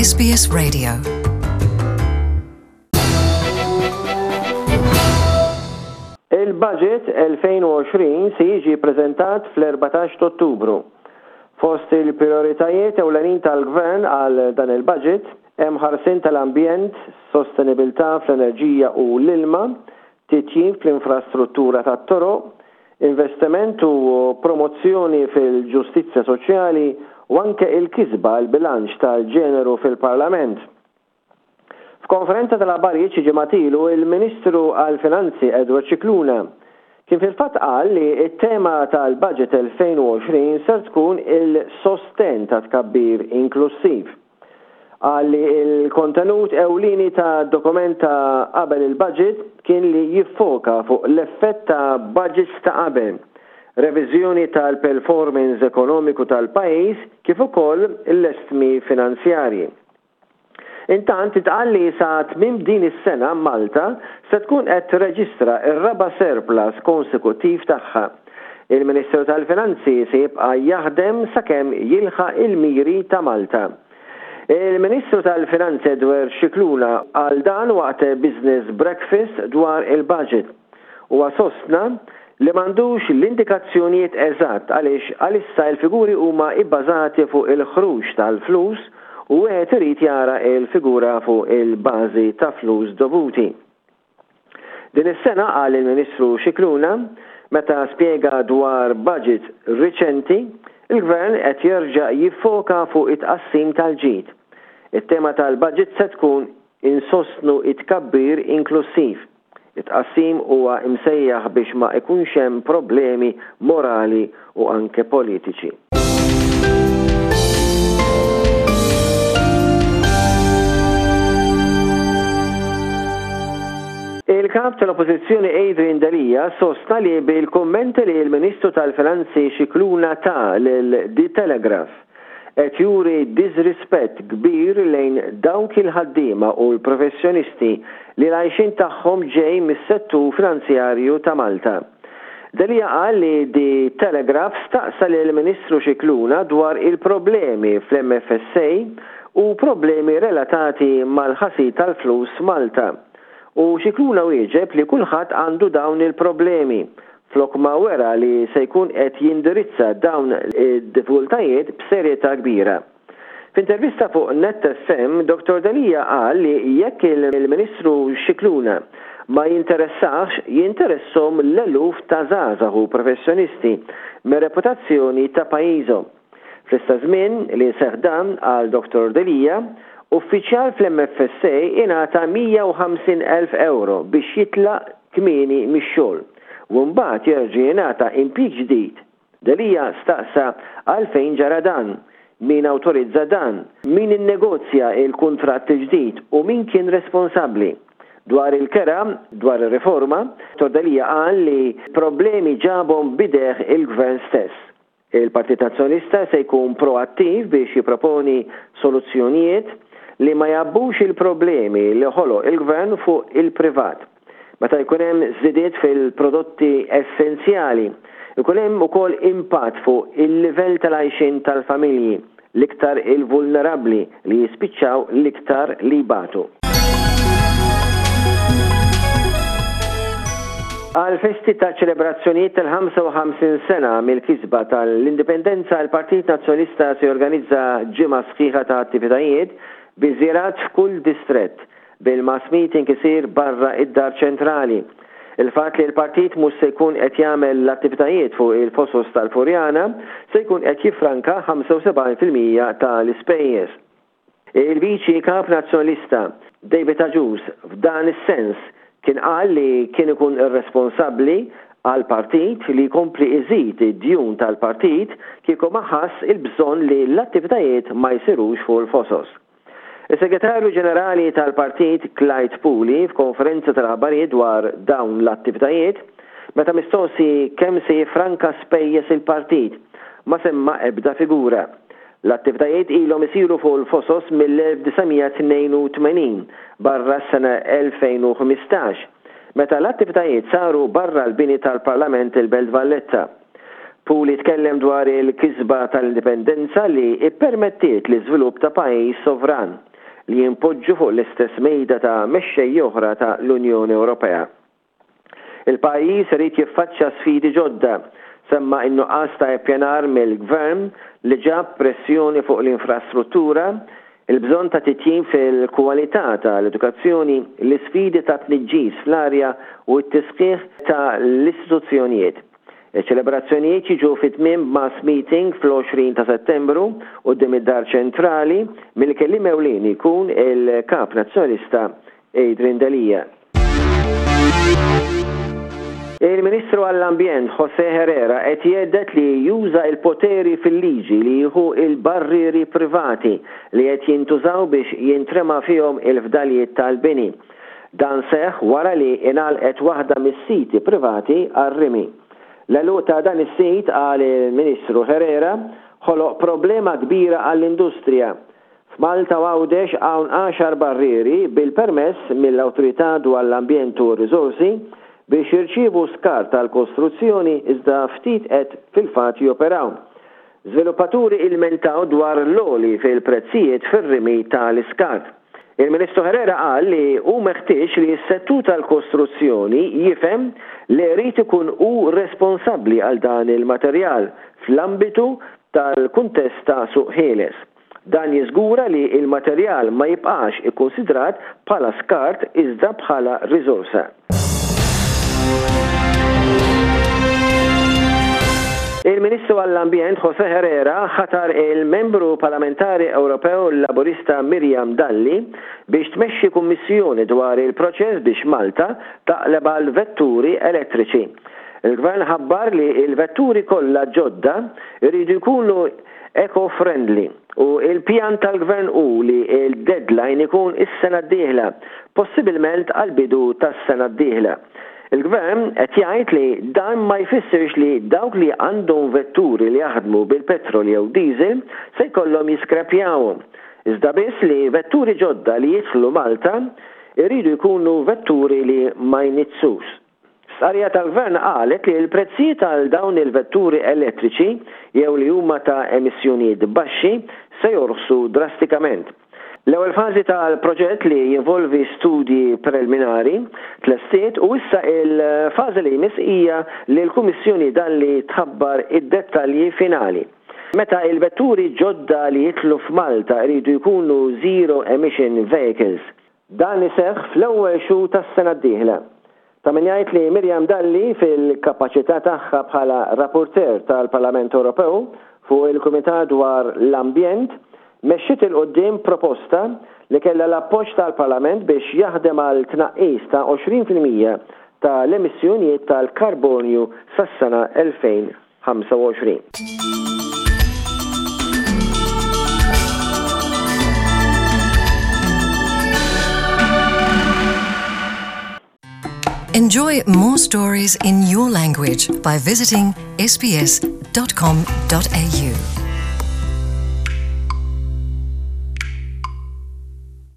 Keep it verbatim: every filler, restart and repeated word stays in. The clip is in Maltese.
S B S Radio. Il-budget elfejn u għoxrin se jiġi preżentat fl-erbatax ta' Ottubru. Fost il-prioritajiet ewlenin tal-gvern għal dan il-budget hemm ħarsien tal-ambjent, sostenibilità fl-enerġija u l-ilma, titjib fl-infrastruttura tat-toroq, investiment u promozzjoni fil-ġustizzja soċjali u anke il-kisba l-bilanċ tal-ġeneru fil-Parlament. F'konferenza tal-aħbarijiet xi ġimgħat ilu, il-Ministru għall-Finanzi Edward Scicluna kien fil-fatt qal li t-tema tal-budget elfejn u għoxrin ser tkun il-sosten ta' tkabbir inklusiv. Qal li il-kontenut ewlieni ta' dokument ta' qabel il-budget kien li jiffoka fuq l-effett ta' budgets ta' qabel, reviżjoni tal-performance ekonomiku tal-pajjiż kif ukoll l-estmi finanzjarji. Intant intqal li sa tmiem din is-sena Malta se tkun qed tirreġistra r-raba' surplus konsekuttiv tagħha. Il-Ministru tal-Finanzi se jibqa' jaħdem sakemm jilħaq il-miri ta' Malta. Il-Ministru tal-Finanzi Edward Scicluna qal dan waqt business breakfast dwar il-budget. Huwa sostna li m'għandux l-indikazzjonijiet eżatt għaliex għalissa il-figuri huma ibbażati fuq il-ħruġ tal-flus u wieħed irid jara il-figura fuq il-bażi ta' flus dovuti. Din is-sena, qal il-Ministru Scicluna meta spjega dwar budget riċenti, il-Gvern qed jerġa' jiffoka fuq it-tqassim tal-ġid. It-tema tal-budget se tkun insostnu it-tkabbir inklusiv. It-tqassim huwa imsejjaħ biex ma ikunx hemm problemi morali u anke politiċi. Il-kap tal-Oppożizzjoni Adrian Delia sostna li bil-kommenti li l-Ministru tal-Finanzi Scicluna ta lil The Telegraph qed juri disrispett kbir lejn dawk il-ħaddiema u l-professjonisti li l-għajxin tagħhom ġej mis-settur finanzjarju ta' Malta. Delia qal li The Telegraph staqsa lil Ministru Scicluna dwar il-problemi fl-M F S A u problemi relatati mal-ħasil tal-flus Malta. U Scicluna wieġeb li kulħadd għandu dawn il-problemi flok ma wera li se jkun qed jindirizza dawn id-diffikultajiet b'serjetà kbira. F'intervista fuq Net F M, Dottor Delia qal li jekk il-Ministru Scicluna ma jinteressax, jinteressahom l-eluf ta' żgħażagħ u professjonisti mir-reputazzjoni ta' pajjiżhom. Fl-istess żmien li seħ dan, qal Dottor Delia, uffiċjal fl-M F S A ingħata mija u ħamsin elf euro biex jitlaq kmieni mix-xogħol u mbagħad jerġa' jingħata impjieg ġdid. Delia staqsa għalfejn ġara dan, min awtorizza dan, min innegozja il-kuntratt il-ġdid u min kien responsabbli. Dwar il-kera, dwar il-riforma, Dottor Delia qal li problemi ġabhom b'idejh il-gvern stess. Il-Partit Nazzjonalista se jkun proattiv biex jiproponi soluzzjonijiet li ma jgħabbux il-problemi li ħoloq il-gvern fuq il-privat. Meta jkun hemm żidiet fil-prodotti essenzjali, ikun hemm ukoll impatt fuq il-livell tal-għajxin tal-familji, l-iktar il-vulnerabbli li jispiċċaw l-iktar li jbatu. Għal festi ta' ċelebrazzjonijiet tal-ħamsa u ħamsin sena mill-kisba tal-Indipendenza, il-Partit Nazzjonalista se jorganizza ġimgħa sħiħa ta' attivitajiet bi żjarat f'kull distrett, bil-mass meeting isir barra id-dar ċentrali. Il-fatt li l-partit mhux se jkun qed jagħmel l-attivitajiet fuq il-fosos tal-Furjana se jkun qed jifranka ħamsa u sebgħin fil-mija tal-ispejjeż. Il-Viċi Kap Nazzjonalista David Agius f'dan is-sens kien qal li kien ikun irresponsabbli għal partit li jkompli iżid id-djun tal-partit kieku ma ħass il-bżonn li l-attivitajiet ma jsirux fuq il-fosos. Il-Segretarju Ġenerali tal-Partit Clyde Puli f'konferenza tal-aħbarijiet dwar dawn l-attivitajiet, meta mistoqsi kemm se jifranka spejjeż il-partit, ma semma ebda figura. L-attivitajiet ilhom isiru fuq il-fosos mill-elf disa' mija tnejn u tmenin barra s-sena elfejn u ħmistax, meta l-attivitajiet saru barra l-bini tal-Parlament il-Belt Valletta. Puli tkellem dwar il-kisba tal-indipendenza li ippermettiet l-iżvilupp ta' pajjiż sovran. li jimpoġġu fuq l-istess mejda ta' mexxej oħra ta' l-Unjoni Ewropea. Il-pajjiż irid jiffaċċja sfidi ġodda, semma in-nuqqas ta' ippjanar mill-gvern li ġab pressjoni fuq l-infrastruttura, il-bżonn ta' titjib fil-kwalità tal-edukazzjoni, l-isfidi ta' tniġġis fl-arja u t-tisħiħ ta' l-istituzzjonijiet. Iċ-ċelebrazzjonijiet jiġu fi tmiem mass meeting fl-għoxrin ta' Settembru quddiem id-Dar Ċentrali mill-kelliem ewlieni jkun il-Kap Nazzjonalista Adrian Delia. Il-Ministru għall-Ambjent Jose Herrera qed jgħedded li juża il-poteri fil-liġi li jieħu il-barrieri privati li qed jintużaw biex jintrema fihom il-fdalijiet tal-bini. Dan seħ wara li ingħalqet waħda mis-siti privati għar-rimi. L-għeluq ta' dan is-sit, qal il-Ministru Herrera, ħoloq problema kbira għall-industrija. F'Malta u Għawdex hawn għaxar barrieri bil-permess mill-Awtorità dwar l-Ambjent u r-Riżorsi biex jirċievu skart tal-kostruzzjoni, iżda ftit qed fil-fatt joperaw. Żviluppaturi ilmentaw dwar l-għoli fil-prezzijiet fir-rimi tal-iskart. Il-Ministru Herrera qal li hu meħtieġ li s-settur tal-kostruzzjoni jifhem li jrid ikun hu responsabbli għal dan il-materjal fl-ambitu tal-kuntest ta' suq ħieles. Dan jiżgura li il-materjal ma jibqax ikkonsidrat bħala skart iżda bħala riżorsa. Il-Ministru għall-Ambjent Jose Herrera ħatar il-membru parlamentari Ewropew Laburista Miriam Dalli biex tmexxi kummissjoni dwar il-proċess biex Malta taqleb għal vetturi elettriċi. Il-Gvern ħabbar li il-vetturi kollha ġodda jridu jkunu eco-friendly u il-pjan tal-Gvern hu li il-deadline ikun is-sena d-dieħla, possibilment għal-bidu tas-sena d-dieħla. Il-Gvern qed jgħid li dan ma jfissirx li dawk li għandhom vetturi li jaħdmu bil-petrol jew diesel se jkollhom jiskrepjawhom. Iżda biss li vetturi ġodda li jidħlu Malta jridu jkunu vetturi li ma jniġġsux. Stqarrija tal-Gvern qalet li l-prezzijiet għal dawn il-vetturi elettriċi jew li huma ta' emissjonijiet baxxi se jorħsu drastikament. L-ewwel fażi tal-proġett, li jinvolvi studji preliminari, tlestiet u issa il-fażi li jmiss hija li l-Kummissjoni Dalli tħabbar id-dettalji finali. Meta il-vetturi ġodda li jidħlu f'Malta jridu jkunu zero emission vehicles. Dan iseħħ fl-ewwel xhur tas-sena d-dieħla. Ta' min jgħid li Miriam Dalli, fil-kapaċità tagħha bħala rapporteur tal-Parlament Ewropew fuq il-Kumitat dwar l-Ambjent, mexxiet 'il quddiem proposta li kellha l-appoġġ tal-Parlament biex jaħdem għal tnaqqis ta' għoxrin fil-mija ta' l-emissjonijiet tal-karbonju sas-sena elfejn u ħamsa u għoxrin. Enjoy more stories in your language by visiting S B S dot com dot A U.